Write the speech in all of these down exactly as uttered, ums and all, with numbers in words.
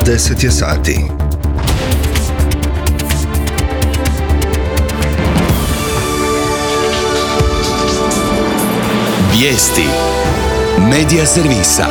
deset je sati. Vijesti Medija servisa.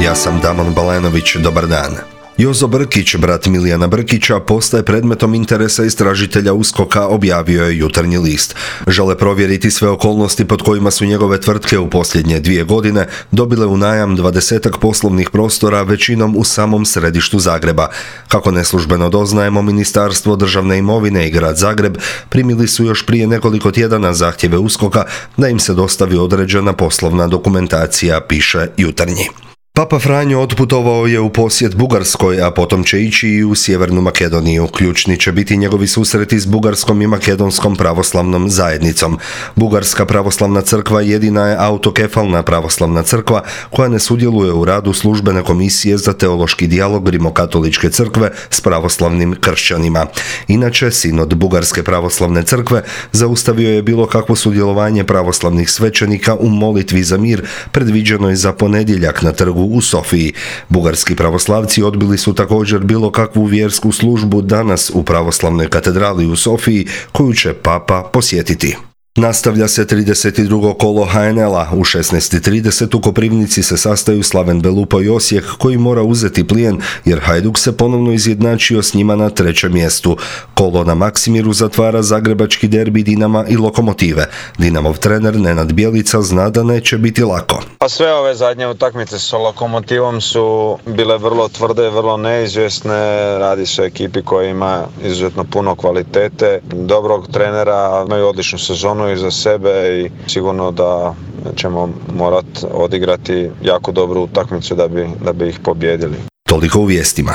Ja sam Damon Balenović, dobar dan. Jozo Brkić, brat Milijana Brkića, postaje predmetom interesa istražitelja USKOK-a, objavio je Jutarnji list. Žele provjeriti sve okolnosti pod kojima su njegove tvrtke u posljednje dvije godine dobile u najam dvadesetak poslovnih prostora, većinom u samom središtu Zagreba. Kako neslužbeno doznajemo, Ministarstvo državne imovine i Grad Zagreb primili su još prije nekoliko tjedana zahtjeve USKOK-a da im se dostavi određena poslovna dokumentacija, piše Jutarnji. Papa Franjo otputovao je u posjet Bugarskoj, a potom će ići i u Sjevernu Makedoniju. Ključni će biti njegovi susreti s bugarskom i makedonskom pravoslavnom zajednicom. Bugarska pravoslavna crkva jedina je autokefalna pravoslavna crkva koja ne sudjeluje u radu službene komisije za teološki dijalog Rimokatoličke crkve s pravoslavnim kršćanima. Inače, sinod Bugarske pravoslavne crkve zaustavio je bilo kakvo sudjelovanje pravoslavnih svećenika u molitvi za mir predviđenoj za ponedjeljak na trgu u Sofiji. Bugarski pravoslavci odbili su također bilo kakvu vjersku službu danas u pravoslavnoj katedrali u Sofiji, koju će Papa posjetiti. Nastavlja se trideset drugo kolo ha en el-a. U šesnaest i trideset u Koprivnici se sastaju Slaven Belupo i Osijek, koji mora uzeti plijen jer Hajduk se ponovno izjednačio s njima na trećem mjestu. Kolo na Maksimiru zatvara zagrebački derbi Dinama i Lokomotive. Dinamov trener Nenad Bjelica zna da neće biti lako. Pa sve ove zadnje utakmice sa Lokomotivom su bile vrlo tvrde, vrlo neizvjesne. Radi se o ekipi koja ima izuzetno puno kvalitete, dobrog trenera, imaju odličnu sezonu iza sebe i sigurno da ćemo morati odigrati jako dobru utakmicu da bi, da bi ih pobijedili. Toliko u vijestima.